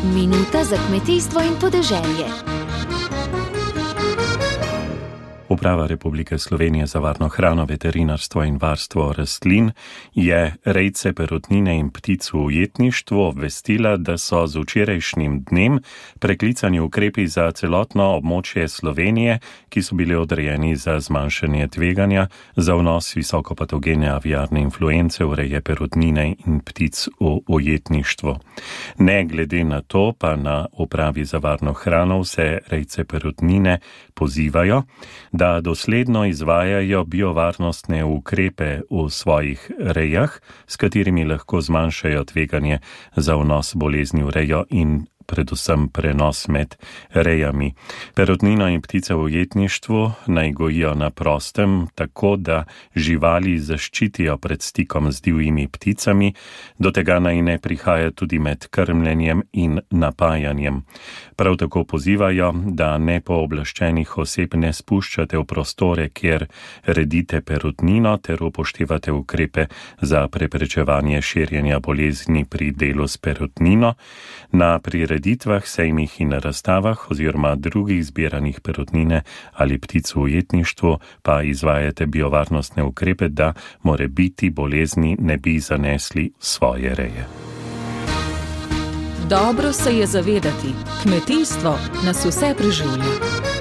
Minuta za kmetijstvo in podeželje. Uprava Republike Slovenije za varno hrano, veterinarstvo in varstvo rastlin je rejce perutnine in ptic v ujetništvu obvestila, da so z včerajšnjim dnem preklicani ukrepi za celotno območje Slovenije, ki so bili odrejeni za zmanjšanje tveganja za vnos visokopatogene aviarne influence v reje perutnine in ptic v ujetništvu. Ne glede na to pa na Upravi za varno hrano vse rejce perutnine pozivajo, da dosledno izvajajo biovarnostne ukrepe v svojih rejah, s katerimi lahko zmanjšajo tveganje za vnos bolezni v rejo in predvsem prenos med rejami. Perutnino in ptice v ujetništvu naj gojijo na prostem, tako da živali zaščitijo pred stikom z divjimi pticami, do tega naj ne prihaja tudi med krmljenjem in napajanjem. Prav tako pozivajo, da nepooblaščenih oseb ne spuščate v prostore, kjer redite perutnino, ter upoštevate ukrepe za preprečevanje širjenja bolezni pri delu s perutnino. Na prireditvah, sejmih in razstavah oziroma drugih zbiranih perutnine ali ptic v ujetništvu pa izvajate biovarnostne ukrepe, da morebiti bolezni ne bi zanesli v svoje reje. Dobro se je zavedati, kmetijstvo nas vse preživlja.